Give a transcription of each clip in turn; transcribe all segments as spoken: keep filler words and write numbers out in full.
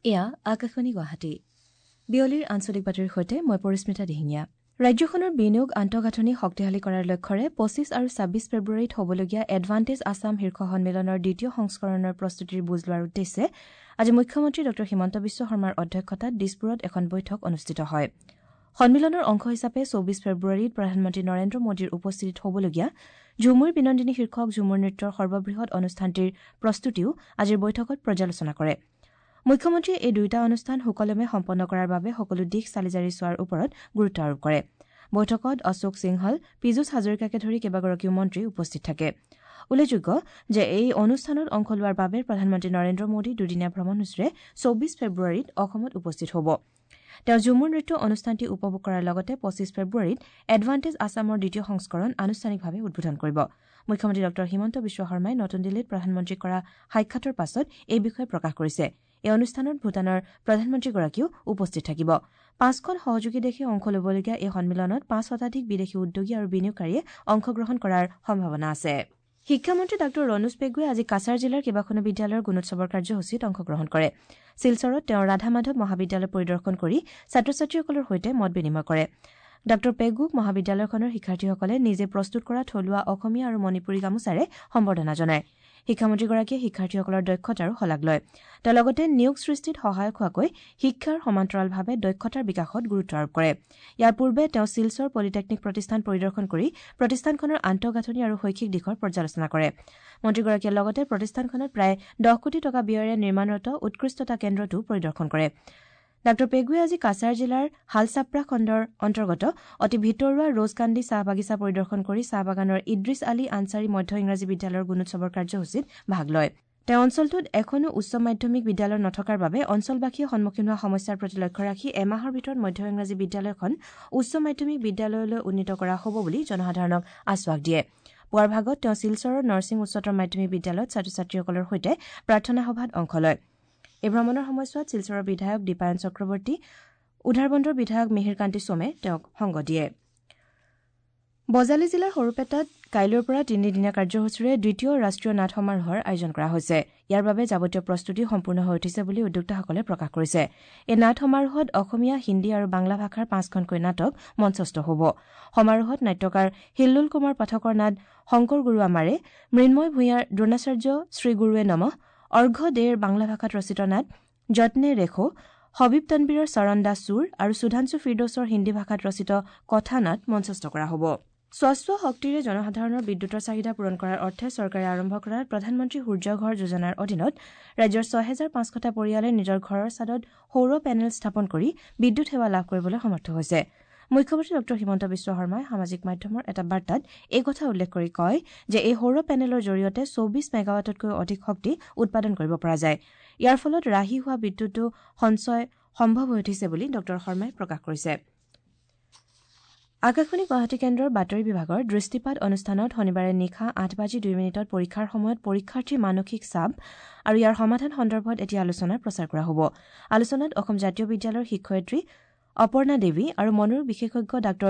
এয়া আকাশবাণী গুৱাহাটী। বিয়লিৰ আঞ্চলিক বাতৰিৰ সৈতে মই পৰিস্মিতা দিহিঙীয়া। ৰাজ্যখনৰ বিনিয়োগ আন্তঃগাঁথনি শক্তিশালী কৰাৰ লক্ষ্যৰে পঁচিছ আৰু ছাব্বিছ ফেব্ৰুৱাৰীত হ'বলগীয়া এডভান্টেজ আছাম শীৰ্ষ সন্মিলনৰ দ্বিতীয় সংস্কৰণৰ প্ৰস্তুতিৰ বুজ লোৱাৰ উদ্দেশ্যে আজি মুখ্যমন্ত্ৰী ডঃ হিমন্ত বিশ্ব শৰ্মাৰ অধ্যক্ষতাত দিছপুৰত এখন বৈঠক অনুষ্ঠিত হয়। সন্মিলনৰ অংশ হিচাপে চৌবিছ ফেব্ৰুৱাৰীত প্ৰধানমন্ত্ৰী নৰেন্দ্ৰ মোদীৰ উপস্থিতিত হ'বলগীয়া ঝুমুৰ বিনন্দিনী শীৰ্ষক ঝুমুৰ নৃত্যৰ সৰ্ববৃহৎ অনুষ্ঠানটিৰ প্ৰস্তুতিও আজিৰ বৈঠকত পৰ্যালোচনা কৰে। মুখ্যমন্ত্ৰীয়ে এই দুয়োটা অনুষ্ঠান সুকলমে সম্পন্ন কৰাৰ বাবে সকলো দিশ চালিজাৰি চোৱাৰ ওপৰত গুৰুত্ব আৰোপ কৰে। বৈঠকত অশোক সিংহল, পীযুষ হাজৰিকাকে ধৰি কেইবাগৰাকীও মন্ত্ৰী উপস্থিত থাকে। উল্লেখযোগ্য যে এই অনুষ্ঠানত অংশ লোৱাৰ বাবে প্ৰধানমন্ত্ৰী নৰেন্দ্ৰ মোদী দুদিনীয়া ভ্ৰমণসূচীৰে চৌবিছ ফেব্ৰুৱাৰীত অসমত উপস্থিত হ'ব। তেওঁ ঝুমুৰ নৃত্য অনুষ্ঠানটি উপভোগ কৰাৰ লগতে পঁচিছ ফেব্ৰুৱাৰীত এডভান্টেজ আছামৰ দ্বিতীয় সংস্কৰণ আনুষ্ঠানিকভাৱে উদ্বোধন কৰিব। মুখ্যমন্ত্ৰী ডঃ হিমন্ত বিশ্ব শৰ্মাই নতুন দিল্লীত প্ৰধানমন্ত্ৰীক কৰা সাক্ষাতৰ পাছত এই বিষয়ে প্ৰকাশ কৰিছে। এই অনুষ্ঠানত ভূটানৰ প্ৰধানমন্ত্ৰীগৰাকীও উপস্থিত থাকিব। পাঁচখন সহযোগী দেশে অংশ ল'বলগীয়া এই সন্মিলনত পাঁচ শতাধিক বিদেশী উদ্যোগী আৰু বিনিয়োগকাৰীয়ে অংশগ্ৰহণ কৰাৰ সম্ভাৱনা আছে। শিক্ষামন্ত্ৰী ডাঃ ৰণোজ পেগুৱে আজি কাছাৰ জিলাৰ কেইবাখনো বিদ্যালয়ৰ গুণোৎসৱৰ কাৰ্যসূচীত অংশগ্ৰহণ কৰে। শিলচৰত তেওঁ ৰাধা মাধৱ মহাবিদ্যালয় পৰিদৰ্শন কৰি ছাত্ৰ ছাত্ৰীসকলৰ সৈতে মত বিনিময় কৰে। ডাঃ পেগুক মহাবিদ্যালয়খনৰ শিক্ষাৰ্থীসকলে নিজে প্ৰস্তুত কৰা থলুৱা অসমীয়া আৰু মণিপুৰী গামোচাৰে সম্বৰ্ধনা জনায়। শিক্ষামন্ত্ৰীগৰাকীয়ে শিক্ষাৰ্থীসকলৰ দক্ষতাৰো শলাগ লয়। তেওঁ লগতে নিয়োগ সৃষ্টিত সহায়ক হোৱাকৈ শিক্ষাৰ সমান্তৰালভাৱে দক্ষতাৰ বিকাশত গুৰুত্ব আৰোপ কৰে। ইয়াৰ পূৰ্বে তেওঁ শিলচৰ পলিটেকনিক প্ৰতিষ্ঠান পৰিদৰ্শন কৰি প্ৰতিষ্ঠানখনৰ আন্তঃগাঁথনি আৰু শৈক্ষিক দিশৰ পৰ্যালোচনা কৰে। মন্ত্ৰীগৰাকীয়ে লগতে প্ৰতিষ্ঠানখনত প্ৰায় দহ কোটি টকা ব্যয়েৰে নিৰ্মাণৰত উৎকৃষ্টতা কেন্দ্ৰটোও পৰিদৰ্শন কৰে। ডাঃ পেগুৱে আজি কাছাৰ জিলাৰ হালচাপ্ৰা খণ্ডৰ অন্তৰ্গত অতি ভিতৰুৱা ৰোজকান্দি চাহ বাগিচা পৰিদৰ্শন কৰি চাহ বাগানৰ ইদ্ৰিছ আলী আনছাৰী মধ্য ইংৰাজী বিদ্যালয়ৰ গুণোৎসৱৰ কাৰ্যসূচীত ভাগ লয়। তেওঁ অঞ্চলটোত এখনো উচ্চ মাধ্যমিক বিদ্যালয় নথকাৰ বাবে অঞ্চলবাসীয়ে সন্মুখীন হোৱা সমস্যাৰ প্ৰতি লক্ষ্য ৰাখি এমাহৰ ভিতৰত মধ্য ইংৰাজী বিদ্যালয়খন উচ্চ মাধ্যমিক বিদ্যালয়লৈ উন্নীত কৰা হ'ব বুলি জনসাধাৰণক আশ্বাস দিয়ে। পুৱাৰ ভাগত তেওঁ শিলচৰৰ নৰসিং উচ্চতৰ মাধ্যমিক বিদ্যালয়ত ছাত্ৰ ছাত্ৰীসকলৰ সৈতে প্ৰাৰ্থনা সভাত অংশ লয়। এই ভ্ৰমণৰ সময়ছোৱাত শিলচৰৰ বিধায়ক দীপায়ন চক্ৰৱৰ্তী, উধাৰবন্দৰ বিধায়ক মিহিৰকান্তি সোমে তেওঁক সংগ দিয়ে। বজালী জিলাৰ সৰুপেটাত কাইলৈৰ পৰা তিনিদিনীয়া কাৰ্যসূচীৰে দ্বিতীয় ৰাষ্ট্ৰীয় নাট সমাৰোহৰ আয়োজন কৰা হৈছে। ইয়াৰ বাবে যাৱতীয় প্ৰস্তুতি সম্পূৰ্ণ হৈ উঠিছে বুলি উদ্যোক্তাসকলে প্ৰকাশ কৰিছে। এই নাট সমাৰোহত অসমীয়া, হিন্দী আৰু বাংলা ভাষাৰ পাঁচখনকৈ নাটক মঞ্চস্থ হ'ব। সমাৰোহত নাট্যকাৰ হিল্লোল কুমাৰ পাঠকৰ নাট শংকৰ গুৰু আমাৰে, মৃন্ময় ভূঞাৰ দ্ৰোণাচাৰ্য শ্ৰীগুৰুৱে নমঃ, অৰ্ঘ দেৰ বাংলা ভাষাত ৰচিত নাট যত্নে ৰেখো, হবিব তনবীৰৰ চৰণদাস চুৰ আৰু সুধাংশু ফিৰদৌছৰ হিন্দী ভাষাত ৰচিত কথা নাট মঞ্চস্থ কৰা হ'ব। স্বচ্ছ শক্তিৰে জনসাধাৰণৰ বিদ্যুতৰ চাহিদা পূৰণ কৰাৰ অৰ্থে চৰকাৰে আৰম্ভ কৰা প্ৰধানমন্ত্ৰী সূৰ্যঘৰ যোজনাৰ অধীনত ৰাজ্যৰ ছহেজাৰ পাঁচশটা পৰিয়ালে নিজৰ ঘৰৰ ছাদত সৌৰ পেনেল স্থাপন কৰি বিদ্যুৎ সেৱা লাভ কৰিবলৈ সমৰ্থ হৈছে। মুখ্যমন্ত্ৰী ডঃ হিমন্ত বিশ্ব শৰ্মাই সামাজিক মাধ্যমৰ এটা বাৰ্তাত এই কথা উল্লেখ কৰি কয় যে এই সৌৰ পেনেলৰ জৰিয়তে চৌবিছ মেগাৱাটতকৈ অধিক শক্তি উৎপাদন কৰিব পৰা যায়। ইয়াৰ ফলত ৰাহি হোৱা বিদ্যুতো সঞ্চয় সম্ভৱ হৈ উঠিছে বুলি ডঃ শৰ্মাই প্ৰকাশ কৰিছে। আকাশবাণী গুৱাহাটী কেন্দ্ৰৰ বাতৰি বিভাগৰ দৃষ্টিপাত অনুষ্ঠানত শনিবাৰে নিশা আঠ বাজি দুই মিনিটত পৰীক্ষাৰ সময়ত পৰীক্ষাৰ্থীৰ মানসিক চাপ আৰু ইয়াৰ সমাধান সন্দৰ্ভত এটি আলোচনা প্ৰচাৰ কৰা হ'ব। আলোচনাত অসম জাতীয় বিদ্যালয়ৰ শিক্ষয়িত্ৰী অপৰ্ণা দেৱী আৰু মনোৰোগ বিশেষজ্ঞ ডাঃ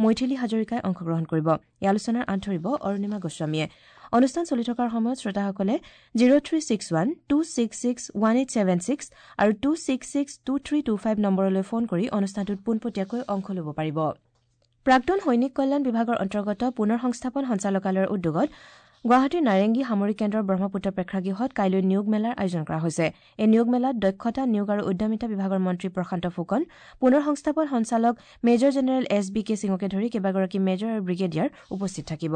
মৈথিলী হাজৰিকাই অংশগ্ৰহণ কৰিব। এই আলোচনাৰ আঁত ধৰিব অৰুণিমা গোস্বামীয়ে। অনুষ্ঠান চলি থকাৰ সময়ত শ্ৰোতাসকলে zero three six one two six six one eight seven six আৰু two six six two three two five নম্বৰলৈ ফোন কৰি অনুষ্ঠানটোত পোনপটীয়াকৈ অংশ ল'ব পাৰিব। প্ৰাক্তন সৈনিক কল্যাণ বিভাগৰ অন্তৰ্গত পুনৰ সংস্থাপন সঞ্চালকালয়ৰ উদ্যোগত গুৱাহাটীৰ নাৰেংগী সামৰিক কেন্দ্ৰৰ ব্ৰহ্মপুত্ৰ প্ৰেক্ষাগৃহত কাইলৈ নিয়োগ মেলাৰ আয়োজন কৰা হৈছে। এই নিয়োগ মেলাত দক্ষতা, নিয়োগ আৰু উদ্যমিতা বিভাগৰ মন্ত্ৰী প্ৰশান্ত ফুকন, পুনৰ সংস্থাপন সঞ্চালক major general S B K সিঙকে ধৰি কেইবাগৰাকী মেজৰ আৰু ব্ৰিগেডিয়াৰ উপস্থিত থাকিব।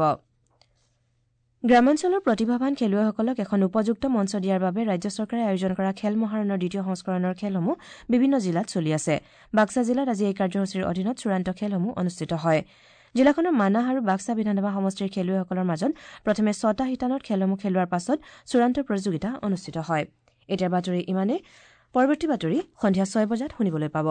গ্ৰামাঞ্চলৰ প্ৰতিভাৱান খেলুৱৈসকলক এখন উপযুক্ত মঞ্চ দিয়াৰ বাবে ৰাজ্য চৰকাৰে আয়োজন কৰা খেল মহাৰণৰ দ্বিতীয় সংস্কৰণৰ খেলসমূহ বিভিন্ন জিলাত চলি আছে। বাক্সা জিলাত আজি এই কাৰ্যসূচীৰ অধীনত চূড়ান্ত খেলসমূহ অনুষ্ঠিত হয়। জিলাখনৰ মানাহ আৰু বাক্সা বিধানসভা সমষ্টিৰ খেলুৱৈসকলৰ মাজত প্ৰথমে ছটা শিতানত খেলসমূহ খেলোৱাৰ পাছত চূড়ান্ত প্ৰতিযোগিতা অনুষ্ঠিত হয়। এতিয়াৰ বাতৰি ইমানেই। পৰৱৰ্তী বাতৰি সন্ধিয়া ছয় বজাত শুনিবলৈ পাব।